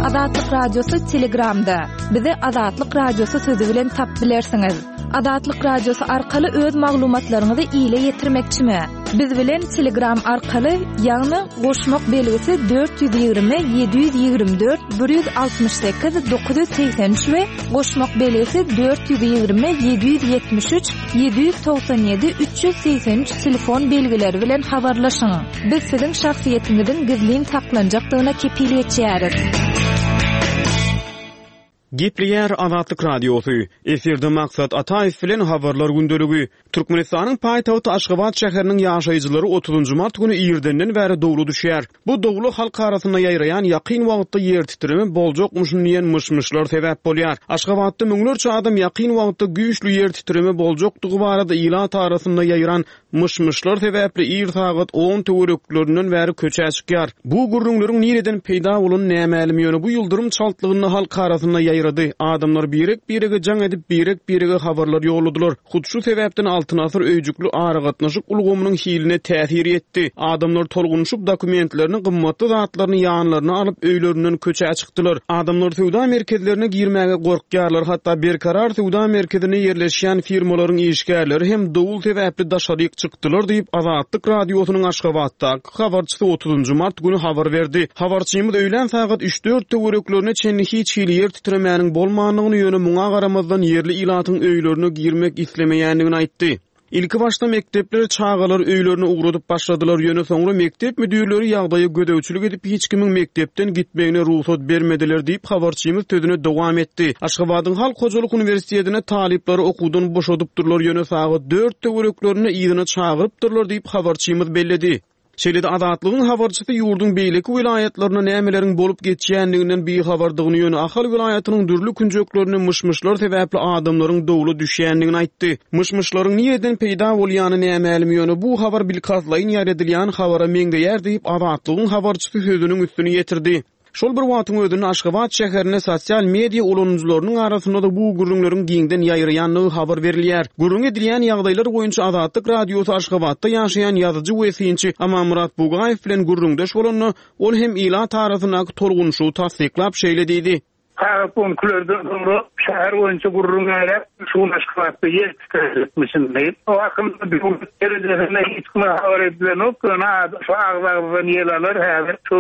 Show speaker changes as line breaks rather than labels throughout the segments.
Azatlyk Radiosy Telegramda. Bizi Azatlyk Radiosy sözi bilen tap bilersiňiz. Azatlyk Radiosy arkaly öz maglumatlaryňyzy ile ýetirmekçimi? Biz bilen Telegram arkaly, ýagny goşmak belgisi 420 724 168 983 we goşmak belgisi 420 773 797 383 telefon belgileri bilen habarlaşyň. Biz siziň şahsyýetiňiziň gizlin saklanjakdygyna kepil geçýäris.
Gepleýär Azatlyk Radiosy, Efirde Maksat Ataýew bilen Habarlar gündeligi. Türkmenistanyň paýtagty Aşgabat şäheriniň ýaşaýjylary otuzynjy mart güni irdenden bäri dowla düşýär. Bu dowla halk arasynda ýaýraýan ýakyn wagtda ýertitreme boljakmyşyn diýen myş-myşlar sebäp bolýar. Aşgabatda müňlerçe adam ýakyn wagtda güýçli ýertitreme boljakdygy barada ilat arasynda ýaýran Myş-myşlar sebäpli ir sagat on töwereklerinden bäri köçä çykýar. Bu gürrüňleriň nireden peýda bolany nämälim, ýöne bu ýyldyrym çaltlygynda halk arasynda ýaýrady. Adamlar birek-birege jaň edip, birek-birege habarlar ýolladylar. Hut şu sebäpden Altyn asyr öýjükli aragatnaşyk ulgamynyň hiline täsir ýetdi. Adamlar tolgunyşyp, dokumentlerini, gymmatly zatlaryny ýanlaryna alyp, öýlerinden köçä çykdylar. Adamlar söwda merkezlerine girmäge gorkýarlar, hatda Berkarar söwda merkezinde ýerleşýän firmalaryň işgärleri hem dowul sebäpli daşaryk çykdylar diýip, Azatlyk Radiosynyň Aşgabatdaky habarçysy otuzynjy mart güni habar berdi. Habarçymyz öýlän sagat üç-dört töwereklerine çenli hiç hili ýer titremäniň bolmandygyny, ýöne muňa garamazdan ýerli ilatyň öýlerine girmek islemeýändigini aýtdy. Ilkibaşda mekdepler çagalary öýlerine ugradyp başladylar, ýöne soňra mekdep müdirleri ýagdaýa gözegçilik edip, hiç kimiň mekdepden gitmegine rugsat bermediler diýip, habarçymyz sözüne dowam etdi. Aşgabadyň Halk hojalyk uniwersitetinde talyplary okuwdan boşadypdyrlar, ýöne sagat dört töwereklerinde yzyna çagyrypdyrlar diýip, habarçymyz belledi. Şeýle-de Azatlygyň habarçysy ýurduň beýleki welaýatlarynda nämeleriň bolup geçýändiginden bihabardygyny, ýöne Ahal welaýatynyň dürli künjeklerinde myş-myşlar sebäpli adamlaryň dowla düşýändigini aýtdy. Myş-myşlaryň nireden peýda bolýany nämälim, ýöne bu habar bilkastlaýyn ýaýradylýan habara meňzeýär diýip, Azatlygyň habarçysy sözüniň üstüni ýetirdi. Şol bir wagtyň özünde Aşgabat şäherinde sosial media ulanyjylarynyň arasynda-da bu gürrüňleriň giňden ýaýraýandygy habar berilýär. Gürrüňi edilýän ýagdaýlar boýunça Azatlyk Radiosy Aşgabatda ýaşaýan ýazyjy we synçy Amanmyrat Bugaýew bilen gürrüňdeş bolanda, ol hem ilat arasyndaky tolgunyşygy tassyklap, şeýle diýdi.
Sagat on ikilerden soňra şäher boýunça gürrüň ýaýrap, şu gün Aşgabatda ýer titrejekmişin diýip. O hakynda döwlet derejesinde hiç kime habar edilenok, ýöne şu agyz-agyzdan ýel alar häzir. Şu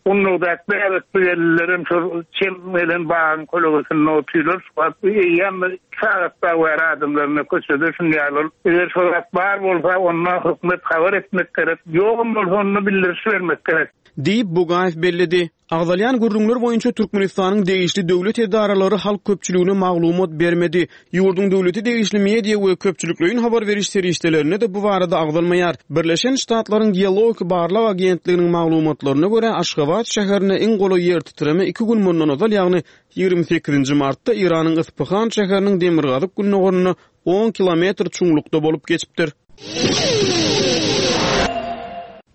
Gundagdaky bäbekli gelinlerem şol çem gelen bagyň kölegesinde otyrlar. Şu wagt eýýäm bir iki sagat dagy bäri adamlar ine köçede şuny ýaly bolup. Eger şo zat bar bolsa, onda hökümet habar etmek gerek. Ýogam bolsa, onda bildiriş bermek gerek.
Diýip, Bugaýew belledi. Agzalýan gürrüňler boýunça Türkmenistanyň degişli döwlet edaralary halk köpçüligine maglumat bermedi. Ýurduň döwlete degişli media we köpçülikleýin habar beriş serişdelerinde-de bu barada agzalmaýar. Birleşen Ştatlaryň Geologik barlag agentliginiň maglumatlaryna görä, Aşgabat şäherine iň golaý ýertitreme iki gün mundan ozal, ýagny 28-nji martda Eýranyň Yspyhan şäheriniň demirgazyk-gündogarynda on kilometr çuňlukda bolup geçipdir.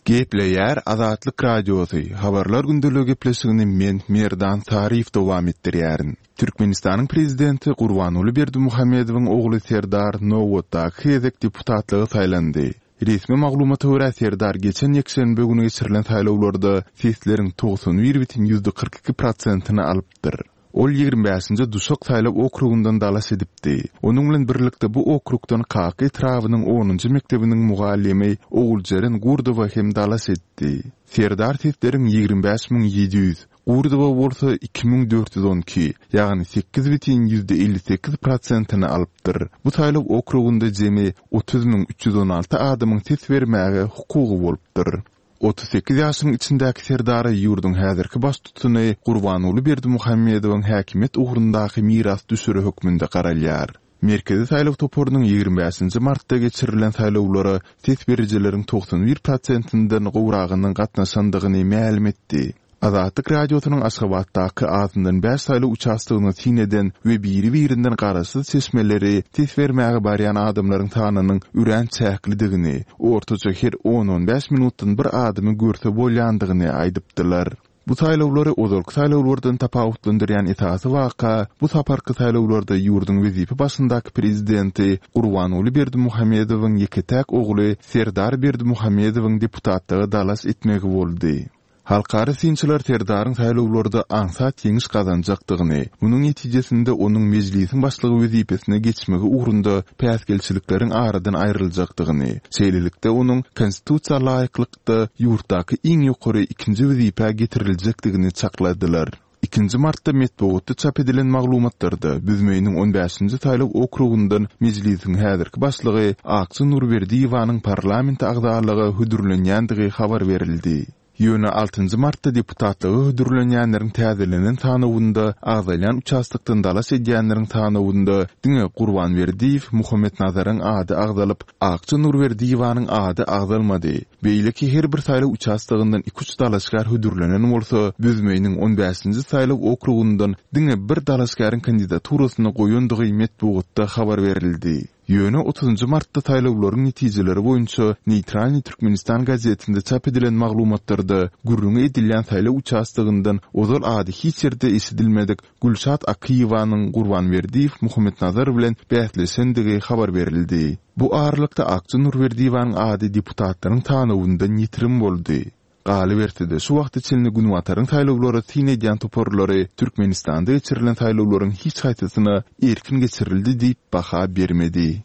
Gepleýär Azatlyk Radiosy, Habarlar gündeligi gepleşigini men, Merdan Saryýew dowam etdirýärin. Türkmenistanyň Prezidenti Gurbanguly Berdimuhamedowyň ogly Serdar nobatdaky gezek deputatlyga saýlandy. Resmi maglumata görä, Serdar geçen ýekşenbe güni geçirilen saýlawlarda sesleriň 91 bütin 42 prosentini alypdyr. Ol 25-nji Duşak saýlaw okrugyndan dalaş edipdi. Onuň bilen birlikde bu okrugdan Kaka etrabynyň onunjy mekdebiniň mugallymy Oguljeren Gurdowa hem dalaş etdi. Serdar sesleriň 25 700, Gurdowa bolsa 2412, ýagny 8,58 prosentini alypdyr. Bu saýlaw okrugynda jemi 30 316 adamyň ses bermäge hukugy bolupdyr. 38 ýaşynyň içindäki Serdara ýurduň häzirki baştutany Gurbanguly Berdimuhamedowyň häkimiýet ugrundaky mirasdüşeri hökmünde garalýar. Merkezi saýlaw toparynyň 25-nji martda geçirilen saýlawlara ses berijileriň 91 prosentinden gowragynyň gatnaşandygyny mälim etdi. Azatlyk Radiosynyň Aşgabatdaky azyndan bäş saýlaw uçastogyna syn eden we biri-birinden garaşsyz çeşmeleri ses bermäge barýan adamlaryň sanynyň örän çäklidigini, ortaça her on-on bäş minutdan bir adamy görse bolýandygyny aýdypdylar. Bu saýlawlary ozalky saýlawlardan tapawutlandyrýan esasy waka bu saparky saýlawlarda ýurduň wezipe başyndaky prezidenti Gurbanguly Berdimuhamedowyň ýeke-täk ogly Serdar Berdimuhamedowyň deputatlyga dalaş etmegi boldy. Halkara synçylar Serdaryň saýlawlarda aňsat ýeňiş gazanjakdygyny, munuň netijesinde onuň Mejlisiň başlygy wezipesine geçmegi ugrunda päsgelçilikleriň aradan aýryljakdygyny, şeýlelikde onuň Konstitusiýa laýyklykda ýurtdaky iň ýokary ikinji wezipä getiriljekdigini çakladylar. Ikinji martda metbugatda çap edilen maglumatlarda Büzmeýiniň on bäşinji saýlaw okrugyndan Mejlisiň häzirki başlygy Akja Nurberdiýewanyň parlament agzalyga hödürlenýändigi habar berildi. Ýöne altynjy martda deputatlyga hödürlenýänleriň täzelenen sanawynda agzalýan uçastokdan dalaş edýänleriň sanawynda diňe Gurban Berdiýew Muhammetnazaryň ady agzalyp, Akja Nurberdiýewanyň ady agzalmady. Beýleki her bir saýlaw uçastogyndan iki-üç dalaşgär hödürlenen bolsa, Büzmeýiniň on bäşinji saýlaw okrugyndan diňe bir dalaşgäriň kandidaturasyny goýandygy metbugatda habar berildi. Ýöne otuzynjy martda saýlawlaryň netijeleri boýunça Neýtralnyý Türkmenistan gazetinde çap edilen maglumatlarda gürrüňi edilýän saýlaw uçastogyndan ozal ady hiç ýerde eşidilmedik Gülşat Akyýewanyň Gurban Berdiýew Muhammetnazar bilen bäsleşendigi habar berildi. Bu aralykda Akja Nurberdiýewanyň ady deputatlaryň sanawyndan ýitirim boldy. Galyberse-de, şu wagta çenli Günbataryň saýlawlara syn edýän toparlary Türkmenistanda geçirilen saýlawlaryň hiç haýsysyna erkin geçirildi diýip baha bermedi.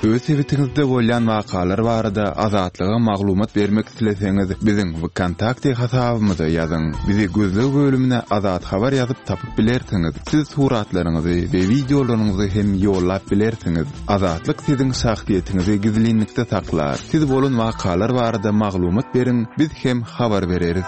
Öz sebitiňizde bolýan wakalar barada Azatlyga maglumat bermek isleseňiz, biziň WKontakte hasabymyza ýazyň. Bizi gözleg bölümine Azat Habar ýazyp tapyp bilersiňiz. Siz suratlaryňyzy we wideolaryňyzy hem ýollap bilersiňiz. Azatlyk siziň şahsyýetiňizi gizlinlikde saklar. Siz bolan wakalar barada maglumat beriň, biz hem habar bereris.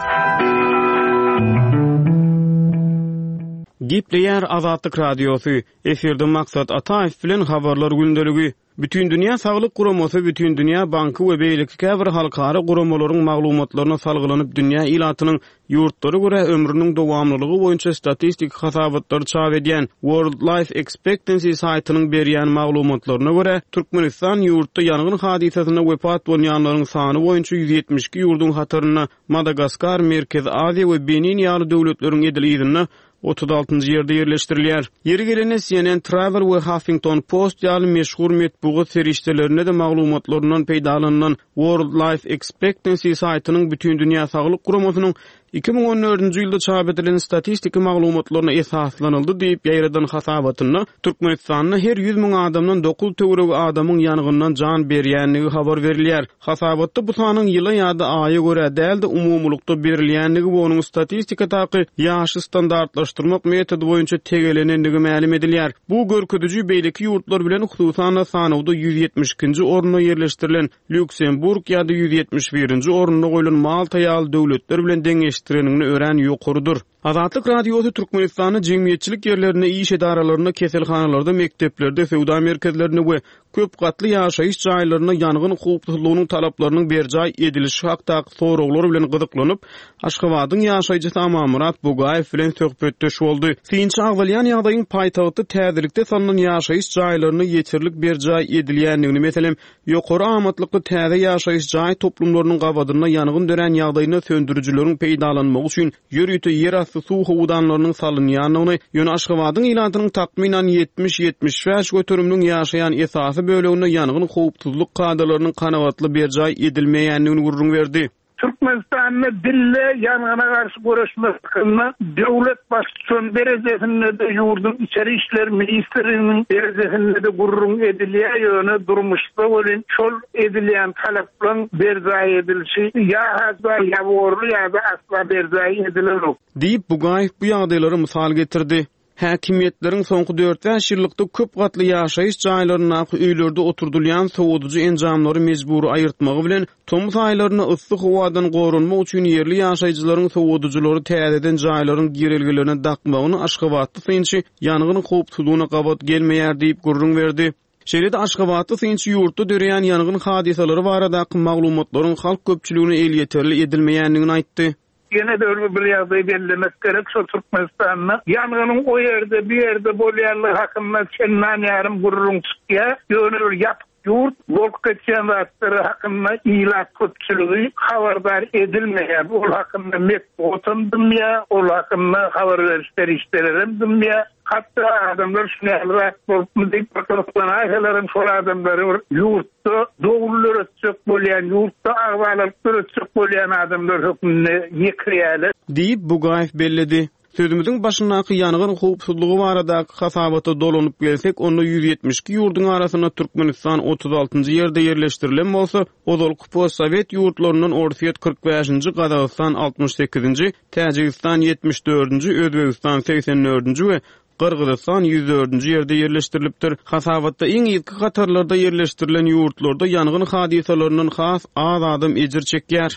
Gepleýär Azatlyk Radiosy, Efirde Maksat Ataýew bilen Habarlar gündeligi. Bütindünýä Saglyk Guramasy, Bütindünýä Banky we beýleki käbir halkara guramalaryň maglumatlaryna salgylanyp dünýä ilatynyň ýurtlara görä ömrüniň dowamlylygy boýunça statistik hasabatlary çap edýän World Life Expectancy saýtynyň berýän maglumatlaryna görä, Türkmenistan ýurtda ýangyn hadysasynda wepat bolýanlaryň sany boýunça 172 ýurduň hatarynda Madagaskar, Merkezi Aziýa we Benin ýaly döwletleriň edil yzynda 36-njy ýerde ýerleşdirilýär. Ýeri gelende, CNN Travel we Huffington Post ýaly meşhur metbugat serişdelerinde-de maglumatlaryndan peýdalanylan World Life Expectancy saýtynyň Bütindünýä Saglyk Guramasynyň 2014-nji ýylda çap edilen statistiki maglumatlaryna esaslanyldy diýip ýaýradan hasabatynda Türkmenistanda her 100 müň adamdan dokuz töweregi adamyň ýangyndan jan berýändigi habar berilýär. Hasabatda bu sanyň ýyla ýa-da aýa görä däl-de, umumylykda berilýändigi we onuň statistikadaky ýaşy standartlaşdyrmak metody boýunça tegelenendigi mälim edilýär. Bu görkeziji beýleki ýurtlar bilen, hususan-da, sanawda 172-nji orunda ýerleşdirilen Lýuksemburg ýa-da 171-nji orunda goýlan Malta ýaly döwletler bilen deňeşdireniňde örän ýokarydyr. Azatlyk Radiosy Türkmenistanda jemgyýetçilik ýerlerinde, iş edaralarynda, keselhanalarda, mekdeplerde, söwda merkezlerinde we köp gatly ýaşaýyş jaýlarynda ýangyn howpsuzlygynyň talaplarynyň berjaý edilişi hakdaky soraglar bilen gyzyklanyp, Aşgabadyň ýaşaýjysy Amanmyrat Bugaýew bilen söhbetdeş boldy. Synçy agzalýan ýagdaýyň paýtagtda täzelikde salnan ýaşaýyş jaýlarynda ýeterlik berjaý edilýändigini, meselem, Ýokary amatlykly täze ýaşaýyş jaý toplumlarynyň gabadynda ýangyn dörän ýagdaýynda söndürijileriň peýdalanmagy üçin ýörite ýerasty suw howdanlarynyň salynýandygyny, ýöne Aşgabadyň ilatynyň takmynan 70-75 göteriminiň ýaşaýan esasy böleginde ýangyn howpsuzlyk kadalarynyň kanagatly berjaý edilmeýändigini gürrüň berdi.
Türkmenistanda dille ýangyna garşy göreşmek hakynda döwlet baştutany derejesinde-de, ýurduň Içeri işler ministrliginiň derejesinde-de gürrüň edilýär, ýöne durmuşda welin şol edilýän talaplaryň berjaý edilişi ýa-ha ýabygorly ýa-da asla berjaý edilenok.
Diýip, Bugaýew bu ýagdaýlary mysal getirdi. Häkimiýetleriň soňky dört-bäş ýyllykda köp gatly ýaşaýyş jaýlaryndaky öýlerde oturdylýan sowadyjy enjamlary mejbury aýyrtmagy bilen, tomus aýlarynda yssy howadan goranmak üçin ýerli ýaşaýjylaryň sowadyjylary täzeden jaýlaryň girelgelerine dakmagyny aşgabatly synçy ýangyn howpsuzlygyna gabat gelmeýär diýip gürrüň berdi. Şeýle-de aşgabatly synçy ýurtda döreýän ýangyn hadysalary baradaky maglumatlaryň halk köpçüligine elýeterli edilmeýändigini aýtdy.
Ýene-de bir ýagdaýy bellemek gerek, şol Türkmenistanda ýangynyň o ýerde, bu ýerde bolýanlygy hakynda çendan ýarym gürrüň çykýar. Ýöne bir ýapyk. Ýurt bolup geçýän zatlar hakynda ilat köpçüligi habardar edilmeýär. Ol hakynda metbugatam dymýar, ol hakynda habar beriş serişdelerem dymýar. Hatda adamlar şuny ýaly zat bolupmy diýip bir gyzyklanaýsalaram şol adamlary bir ýurtda dowul döretjek bolýan, ýurtda agzalalyk döretjek bolýan adamlar hökmünde ýekirýärler.
Diýip, Bugaýew belledi. Sözümiziň başyndaky ýangyn howpsuzlygy baradaky hasabata dolanyp gelsek, onda 172 ýurduň arasynda Türkmenistan 36-njy ýerde ýerleşdirilen bolsa, ozalky postsowet ýurtlaryndan Orsýet 45-nji, Gazagystan 68-nji, Täjigistan 74-nji, Özbegistan 84-nji we Gyrgyzystan 104-nji ýerde ýerleşdirilipdir. Hasabatda iň yzky hatarlarda ýerleşdirilen ýurtlarda ýangyn hadysalaryndan has az adam ejir çekýär.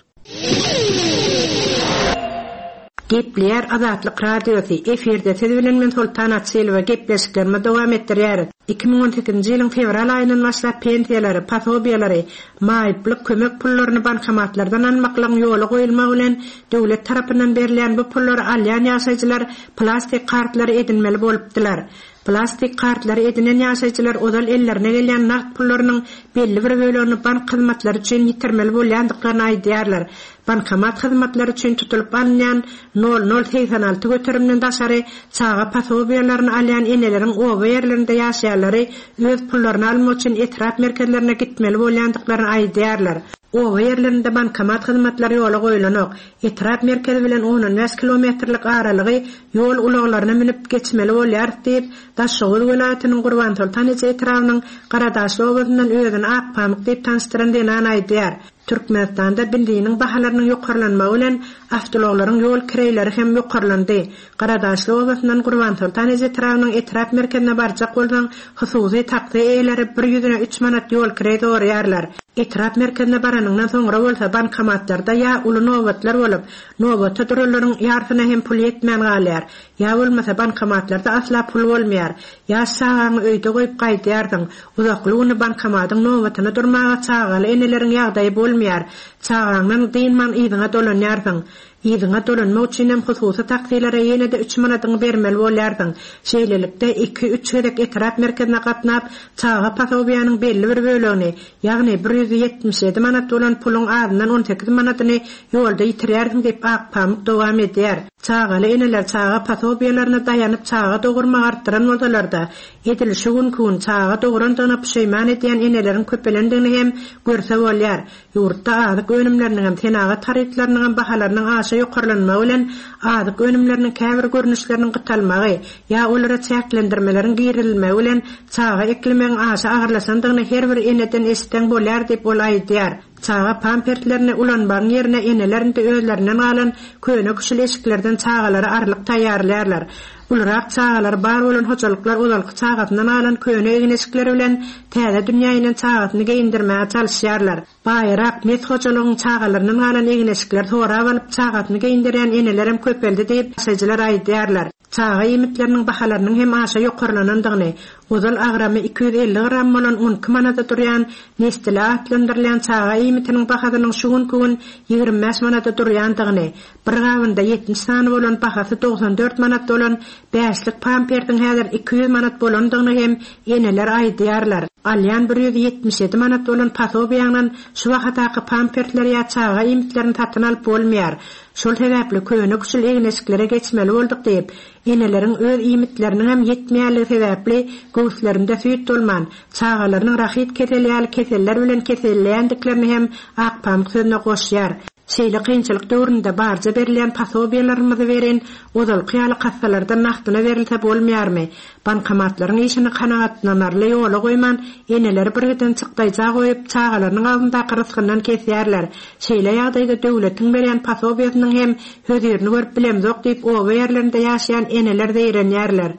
Gepleýär Azatlyk Radiosy, Efirde siz bilen men Soltan Açylowa gepleşiklerimizi dowam etdirýäris. 2018-nji ýylyň fewral aýyndan başlap pensiýalary, posobiýalary, maýyplyk kömek pullaryny bankomatlardan almaklygyň ýola goýulmagy bilen döwlet tarapyndan berilýän bu pullary alýan ýaşaýjylar plastik kartlary edinmeli bolupdylar. Plastik kartlary edinen ýaşaýjylar ozal ellerine gelýän nagt pullarynyň belli bir bölegini bank hyzmatlary üçin ýitirmeli bolýandyklaryny aýdýarlar. Bankomat hyzmatlary üçin tutulyp alynýan nol nol 86 göterimden daşary çaga posobiýalaryny alýan eneleriň oba ýerlerinde ýaşaýanlary öz pullaryny almak üçin etrap merkezlerine gitmeli bolýandyklaryny aýdýarlar. Oba ýerlerinde bankomat hyzmatlary ýola goýlanok. Etrap merkezi bilen on-on bäş kilometrlik aralygy ýol ulaglaryna münüp geçmeli bolýarys diýip, Daşoguz welaýatynyň Gurbansoltan eje etrabynyň Garadaşly obasyndan özüni Akpamyk diýip tanyşdyran zenan aýdýar. Türkmenistanda benziniň bahalarynyň ýokarlanmagy bilen awtoulaglaryň ýol kireýleri hem ýokarlandy. Garadaşly obasyndan Gurbansoltan eje etrabynyň etrap merkezine barjak bolsaň, hususy taksi eýeleri bir ýüzüne üç manat ýol kireý soraýarlar. Etrap merkezine baranyňdan soňra bolsa bankomatlarda ýa uly nobatlar bolup, nobata duranlaryň ýarsyna hem pul ýetmän galýar, ýa bolmasa bankomatlarda asla pul bolmaýar. Ýaş çagaňy öýde goýup gaýdýarsyň. Uzakly güni bankomatyň nobatyna durmaga çagaly eneleriň ýagdaýy bolmaýar. Çagaňdan dynman yzyňa dolanýarsyň. Yzyňa dolanmak üçinem hususy taksilere ýene-de üç manadyňy bermeli bolýarsyň. Şeýlelikde, iki-üç gezek etrap merkezine gatnap, çaga posobiýanyň belli bir bölegini, ýagny 177 manat bolan puluň azyndan 18 manadyny ýolda ýitirýärsiň diýip, Akpamyk dowam edýär. Çagaly eneler çaga posobiýalaryna daýanyp çaga dogurmagy artdyran bolsalar-da, edil şu günki gün çaga dograndygyna puşeýman edýän eneleriň köpelendigini hem görse bolýar. Ýurtda azyk önümleriniňem, senagat harytlarynyňam bahalarynyň aşa ýokarlanmagy bilen azyk önümleriniň käbir görnüşleriniň gytalmagy ýa olara çäklendirmeleriň girizilmegi bilen çaga eklemegiň aşa agyrlaşandygyny her bir eneden eşitseň bolýar diýip ol aýdýar. Çaga pamperslerini ulanmagyň ýerine eneler indi özlerinden galan köne-küşül eşiklerden çagalara arlyk taýýarlaýarlar. Ulurak çagalary bar bolan hojalyklar ozalky çagasyndan galan köne egin-eşikleri bilen täze dünýä inen çagasyny geýindirmäge çalyşýarlar. Baýrak, mes hojalygyň çagalaryndan galan egin-eşikleri sorap alyp, çagasyny geýindirýän enelerem köpeldi diýip, ýaşaýjylar aýdýarlar. Çaga iýmitleriniň bahalarynyň hem aşa ýokarlanandygyny, ozal agramy 250 gram bolan 12 manada durýan Nestile atlandyrylýan çaga iýmitiniň bahasynyň şu günki gün 25 manada durýandygyny, Bir gabynda 70 sany bolan bahasy 94 manat bolan bäşlik pampersiň häzir 200 manat bolandygyny hem eneler aýdýarlar. Alýan 177 manat bolan posobiýaňdan şu bahadaky pampersleri ýa çaga iýmitlerini satyn alyp bolmaýar. Şol sebäpli köne-küşül egin-eşiklere geçmeli bolduk diýip, eneleriň öz iýmitleriniňem ýetmeýänligi sebäpli göwüslerinde süýt bolman, çagalarynyň rahit keseli ýaly keseller bilen keselleýändiklerini hem Akpamyk sözüne goşýar. Şeýle kynçylyk döwründe barja berilýän posobiýalarymyzy welin, ozalky ýaly kassalardan nagtyna berilse bolmaýarmy? Bankomatlaryň işini kanagatlanarly ýola goýman, eneleri birgiden çykdaýja goýup, çagalarynyň agzyndaky rysgyndan kesýärler. Şeýle ýagdaýda döwletiň berýän posobiýasynyň hem hözirini görüp bilemzok diýip, oba ýerlerinde ýaşaýan eneler zeýrenýärler.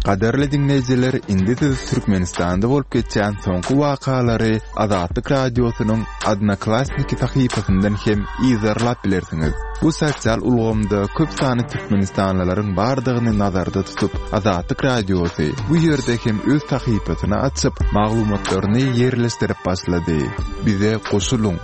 Gadyrly diňleýjiler, indi siz Türkmenistanda bolup geçýän soňky wakalary Azatlyk Radiosynyň Odnoklassniki sahypasyndan hem yzarlap bilersiňiz. Bu sosial ulgamda köp sanly türkmenistanlylaryň bardygyny nazarda tutup, Azatlyk Radiosy bu ýerde hem öz sahypasyny açyp, maglumatlaryny ýerleşdirip başlady. Bize goşulyň!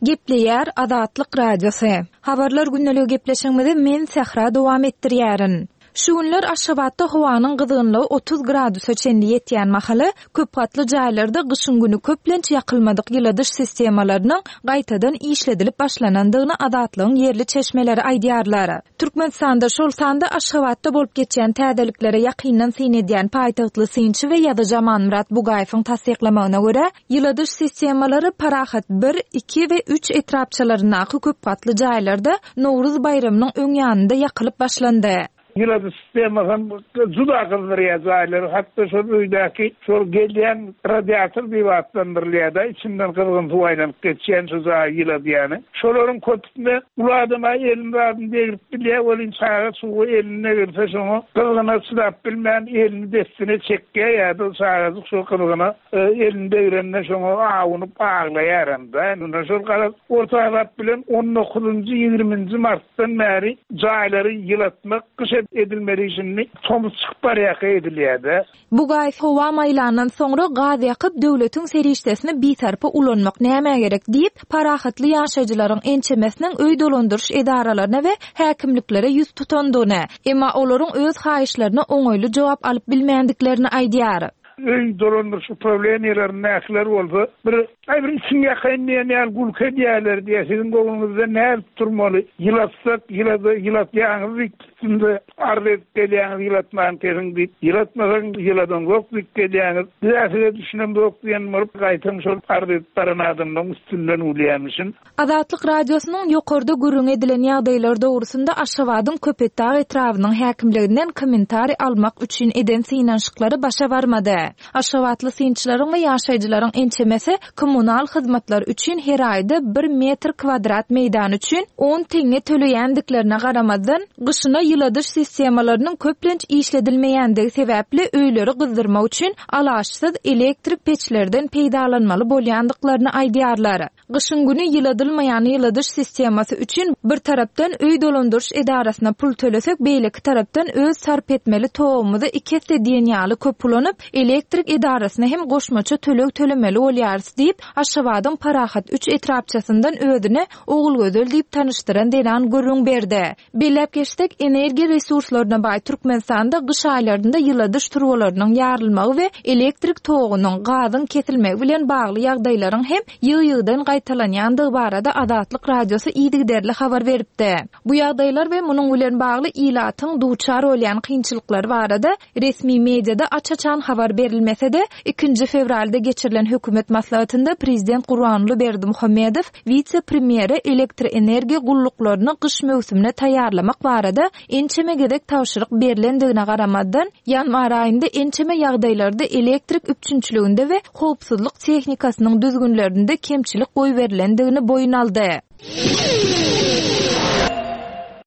Gepleýär Azatlyk Radiosy. Habarlar gündeligi gepleşigimizi men Sähra dowam etdirýärin. Şu günler Aşgabatda howanyň gyzgynlygy 30 gradusa çenli ýetýän mahaly, köp gatly jaýlarda gyşyň güni köplenç ýakylmadyk ýyladyş sistemalarynyň gaýtadan işledilip başlanandygyny Azatlygyň ýerli çeşmeleri aýdýarlar. Türkmenistanda, şol sanda Aşgabatda bolup geçýän täzeliklere ýakyndan syn edýän paýtagtly synçy we ýazyjy Amanmyrat Bugaýewiň tassyklamagyna görä, ýyladyş sistemalary Parahat bir, iki we üç etrapçalaryndaky köp gatly jaýlarda Nowruz baýramynyň öň ýanynda ýakylyp başlandy.
Ýyladyş sistemasam juda gyzdyrýar jaýlary, hatda şol öýdäki şol gelýän radiator diýip atlandyrylýar-da, içinden gyzgyn suw aýlanyp geçýän şu jaýy ýyladýany. Şolaryň köpüsine uly adam-a elini zadyny degrip bilýär welin, çaga çuga elini degirse şoňa gyzgyna çydap bilmän elini dessine çekýär ýa-da çagajyk şo gyzgyna elini degrende şoňa awunyp aglaýaram-da. Indi şol garaz orta azap bilen on dokuzynjy, ýigriminji martdan bäri jaýlary ýylatmak gyş edilmeli şindi tomus çykyp barýarka edilýär-de.
Bugaýew howa maýlandan soňra gaz ýakyp, döwletiň serişdesini bisarpa ulanmak nämä gerek diýip, parahatly ýaşaýjylaryň ençemesiniň öý dolandyryş edaralaryna we häkimliklere ýüz tutandygyny, emma olaryň öz haýyşlaryna oňaýly jogap alyp bilmändiklerini aýdýar.
Öý dolandyryş uprawleniýelerindäkiler bolsa bir Aý bir içiňi ýakaýyn diýen ýaly gülki edýärler diýýär. Siziň göwnüňizde nädip durmaly? Ýylatsak, ýylada, ýylatýaňyz diýip üstümize arz edip gelýäňiz, ýylatman kesiň diýip. Ýylatmasaň ýyladanzok diýip gelýäňiz. Biz-ä size düşünemzok diýen bolup, gaýtam şol arz edip baran adamlaryň üstünden gülýärmişin.
Azatlyk Radiosynyň ýokarda gürrüňi edilen ýagdaýlar dogrusynda Aşgabadyň Köpetdag etrabynyň häkimliginden kommentariý almak üçin eden synanyşyklary başa barmady. Aşgabatly synçylaryň we ýaşaýjylaryň ençemesi kommunal hyzmatlar üçin her aýda bir metr kwadrat meýdan üçin on teňňe töleýändiklerine garamazdan, gyşyna ýyladyş sistemalarynyň köplenç işledilmeýändigi sebäpli öýleri gyzdyrmak üçin alaçsyz elektrik peçlerden peýdalanmaly bolýandyklaryny aýdýarlar. Gyşyň güni ýyladylmaýan ýyladyş sistemasy üçin bir tarapdan öý dolandyryş edarasyna pul tölesek, beýleki tarapdan öz sarp etmeli togumyzy iki esse diýen ýaly köp ulanyp, elektrik edarasyna hem goşmaça töleg tölemeli bolýarys diýip, Aşgabadyň Parahat üç etrapçasyndan özüni Ogulgözel diýip tanyşdyran zenan gürrüň berdi. Belläp geçsek, energiýa resurslaryna baý Türkmenistanda gyş aýlarynda ýyladyş turbalarynyň ýarylmagy we elektrik togunyň, gazyň kesilmegi bilen bagly ýagdaýlaryň hem ýygy-ýygydan gaýtalanýandygy barada Azatlyk Radiosy yzygiderli habar beripdi. Bu ýagdaýlar we munuň bilen bagly ilatyň duçar bolýan kynçylyklary barada Resmi mediada aç-açan habar berilmese-de, ikinji fewralda geçirilen hökümet maslahatynda prezident Gurbanguly Berdimuhamedow wise-premýere elektroenergiýa gulluklaryny gyş möwsümine taýýarlamak barada ençeme gezek tabşyryk berlendigine garamazdan, ýanwar aýynda ençeme ýagdaýlarda elektrik üpjünçiliginde we howpsuzlyk tehnikasynyň düzgünlerinde kemçilik goýberilendigini boýun aldy.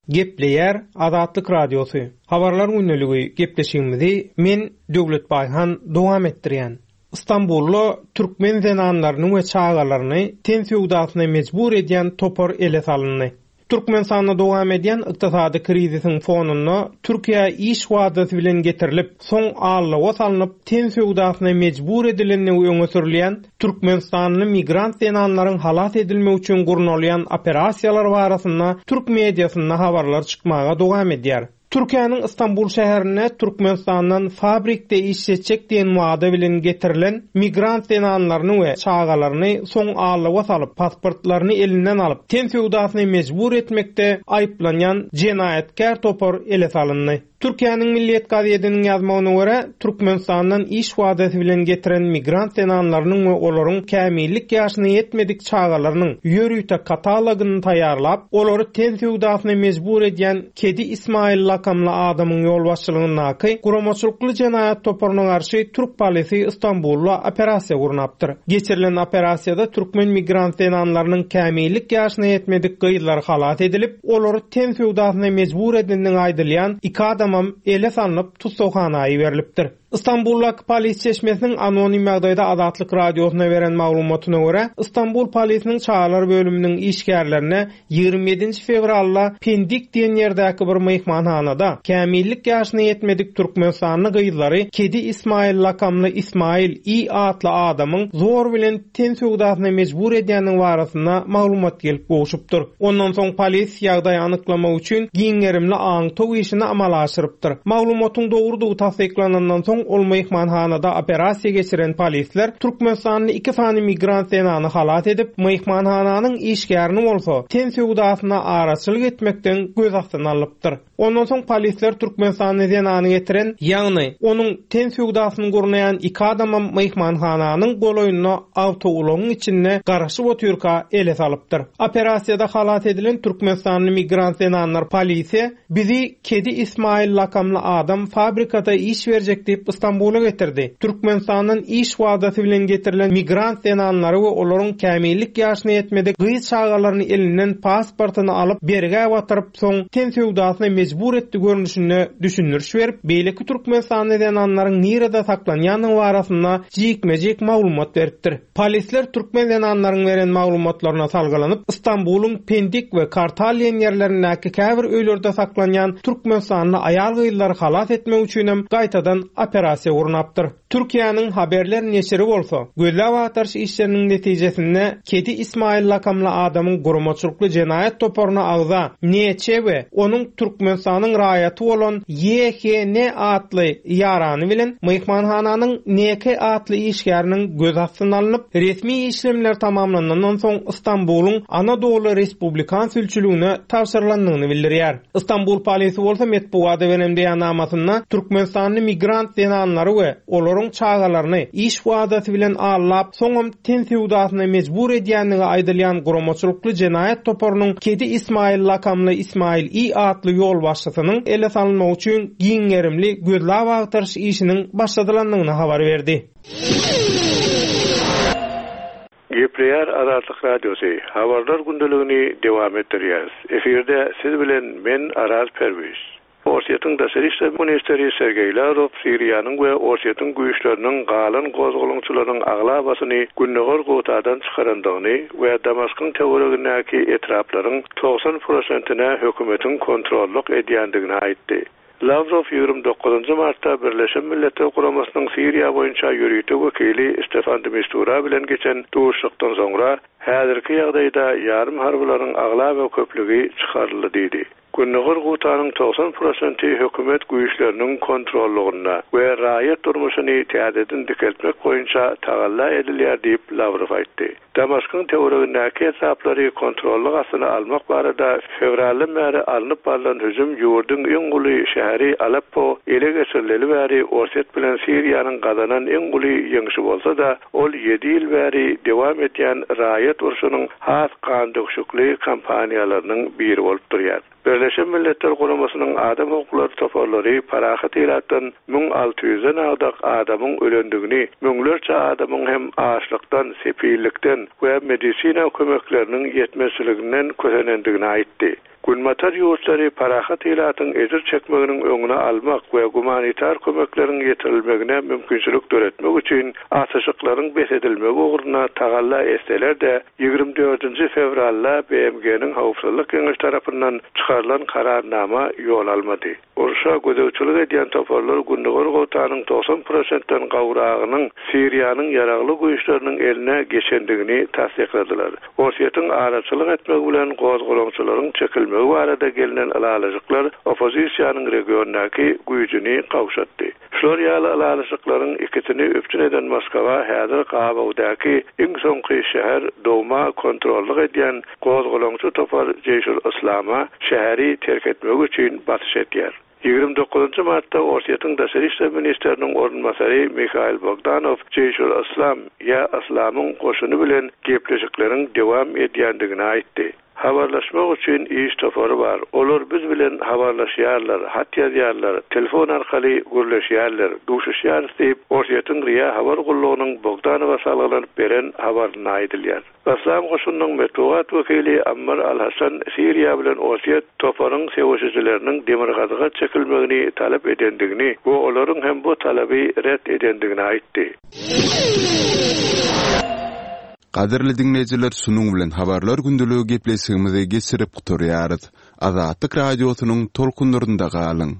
Gepleýär Azatlyk Radiosy, Habarlar gündeligi gepleşigimizi men Döwlet Baýhan dowam etdirýän. Stambulda türkmen zenanlaryny we çagalaryny ten söwdasyna mejbur edýän topar ele salyndy. Türkmenistanda dowam edýän ykdysady krizisiň fonunda Türkiýä iş wadasy bilen getirilip, soň aldawa salnyp ten söwdasyna mejbur edilendigi öňe sürülýän Türkmenistanly migrant zenanlaryň halas edilmegi üçin gurnalýan operasiýalar barasynda türk mediasynda habarlar çykmaga dowam edýär. Türkiýäniň Stambul şäherinde Türkmenistandan fabrikde işletjek diýen wada bilen getirilen migrant zenanlaryny we çagalaryny soň aldawa salyp, pasportlaryny elinden alyp, ten söwdasyna mejbur etmekde aýyplanýan jenaýatkär topar ele salyndy. Türkiýäniň Milliýet gazediniň ýazmagyna görä, Türkmenistandan iş wadasy bilen getiren migrant zenanlarynyň we olaryň kämillik ýaşyna ýetmedik çagalarynyň ýörite katalogyny taýýarlap, olary ten söwdasyna mejbur edýän Kedi Ismail lakamly adamyň ýolbaşçylygyndaky guramaçylykly jenaýat toparyna garşy türk polisi Stambulda operasiýa gurnapdyr. Geçirilen operasiýada türkmen migrant zenanlarynyň kämillik ýaşyna ýetmedik gyzlary halas edilip, Olary ten söwdasyna mejbur edendigi aýdylýan iki adamam ele salnyp, tussaghana iberilipdir. Stambuldaky polis çeşmesiniň anonim ýagdaýda Azatlyk Radiosyna beren maglumatyna görä, Stambul polisiniň çagalar bölüminiň işgärlerine 27-nji fewralda Pendik diýen ýerdäki bir myhmanhanada kämillik ýaşyna ýetmedik türkmenistanly gyzlary Kedi Ismail lakamly Ismail I atly adamyň zor bilen ten söwdasyna mejbur edýändigi barasynda maglumat gelip gowşupdyr. Ondan soň polis ýagdaýy anyklamak üçin giň gerimli aňtaw işini amala aşyrypdyr. Maglumatyň dogrudygy tassyklanandan soň ol myhmanhanada operasiýa geçiren polisler türkmenistanly iki sany migrant zenany halas edip, myhmanhananyň işgärini bolsa ten söwdasyna araçylyk etmekden göz astyna alypdyr. Ondan soň polisler türkmenistanly zenany getiren, ýagny, onuň ten söwdasyny gurnaýan iki adamam myhmanhananyň golaýynda awtoulagyň içinde garaşyp otyrka ele salypdyr. Operasiýada halas edilen türkmenistanly migrant zenanlar polise, Bizi Kedi Ismail lakamly adam fabrikada iş berjek diýip Stambula getirdi. Türkmenistandan iş wadasy bilen getirilen migrant zenanlary we olaryň kämillik ýaşyna ýetmedik gyz çagalaryny elinden pasportyny alyp, bergä batyryp, soň ten söwdasyna mejbur etdi görnüşinde düşündiriş berip, beýleki türkmenistanly zenanlaryň nirede saklanýandygy barasynda jikme-jik maglumat beripdir. Polisler türkmen zenanlaryň beren maglumatlaryna salgylanyp, Stambulyň Pendik we Kartal diýen ýerlerindäki käbir öýlerde saklanýan türkmenistanly aýal-gyzlary halas etmek üçinem gaýtadan operasiýa gurnapdyr. Türkiýäniň Haberler neşiri bolsa, gözläp-agtaryş işleriniň netijesinde Kedi Ismail lakamly adamyň guramaçylykly jenaýat toparyna agza NÇ we onuň Türkmenistanyň raýaty bolan YHN atly ýarany bilen myhmanhananyň NK atly işgäriniň göz astyna alnyp, resmi işlemler tamamlanandan soň Stambulyň Anadoly Respublikan sülçüligine tabşyrylandygyny bildirýär. Stambul polisi bolsa metbugata beren beýannamasynda türkmenistanly migrant zenanlary we olaryň çagalaryny iş wadasy bilen aldap, soňam ten söwdasyna mejbur edýändigi aýdylýan guramaçylykly jenaýat toparynyň Kedi Ismail lakamly Ismail I atly ýolbaşçysynyň ele salynmagy üçin giň gerimli gözläp-agtaryş işiniň başladylandygyny habar berdi.
Gepleýär Azatlyk Radiosy, Habarlar gündeligini dowam etdirýäris. Efirde siz bilen men Araz Perwiz. Orsýetiň daşary işler ministri Sergeý Lawrow Siriýanyň we Orsýetiň güýçleriniň galan gozgalaňçylaryň aglabasyny Gündogar Gutadan çykarandygyny we Damaskyň töweregindäki etraplaryň 90 prosentine hökümetiň kontrollyk edýändigini aýtdy. Lawrow 29 martda Birleşen Milletler Guramasynyň Siriýa boýunça ýörite wekili Stefan de Mistura bilen geçen duşuşykdan soňra, häzirki ýagdaýda ýarym harbylaryň aglaba köplügi çykaryldy diýdi. Gündogar Gutanyň 90 prosenti hökümet güýçleriniň kontrollygynda we raýat durmuşyny täzeden dikeltmek boýunça tagalla edilýär diýip, Lawrow aýtdy. Damaskyň töweregindäki etraplary kontrollyk astyna almak barada fewraldan bäri alnyp barlan hüjüm ýurduň iň uly şäheri Aleppo ele geçirileli bäri Orsýet bilen Siriýanyň gazanan iň uly ýeňşi bolsa-da, ol ýedi ýyl bäri dowam edýän raýat urşunyň has gandöküşikli kampaniýalarynyň biri bolup durýar. Birleşen Milletler Guramasynyň adam hukuklary toparlary parahat ilatdan 1600-den agdak adamyň ölendigini, müňlerçe adamyň hem açlykdan, sepillikden we medisina kömekleriniň ýetmezçiliginden kösenendigini aýtdy. Günbatar ýurtlary parahat ilatyň ejir çekmeginiň öňüni almak we gumanitar kömekleriň ýetirilmegine mümkinçilik döretmek üçin atyşyklaryň bes edilmegi ugrunda tagalla etseler-de, 24-nji fewralda BMG-niň Howpsuzlyk Geňeşi tarapyndan çykarylan Kararnama ýol almady. Urşa gözegçilik edýän toparlar Gündogar Gotanyň 90 prosentden gowragynyň Siriýanyň ýaragly güýçleriniň eline geçendigini tassykladylar. Orsýetiň araçylyk etmegi bilen gozgalaňçylaryň çekilmegi barada gelnen ylalaşyklar oppozisiýanyň regiondaky güýjüni gowşatdy. Şular ýaly ylalaşyklaryň ikisini üpjün eden Moskwa häzir gabawdaky iň soňky şäher Douma kontrollyk edýän gozgalaňçy topar Jeýşul-Yslama şäheri terk etmegi üçin basyş edýär. 29 martda Orsýetiň daşary işler ministriniň orunbasary Mihail Bogdanow Jeýşul-Yslam ýa Yslamyň goşuny bilen gepleşikleriň dowam edýändigini aýtdy. Habarlaşmak üçin iş topary bar. Olar biz bilen habarlaşýarlar, hat ýazýarlar, telefon arkaly gürleşýärler, duşuşýarys diýip, Orsýetiň RIA habar gullugynyň Bogdanowa salgylanyp beren habarynda aýdylýar. Yslam goşunynyň metbugat wekili Ammar al-Hasan Siriýa bilen Orsýet toparyň söweşijileriniň demirgazyga çekilmegini talap edendigini we olaryň hem bu talaby ret edendigini aýtdy.
Gadyrly diňleýjiler şunuň bilen Habarlar gündeligi gepleşigimizi geçirip gutarýarys. Azatlyk Radiosynyň tolkunlarynda galyň.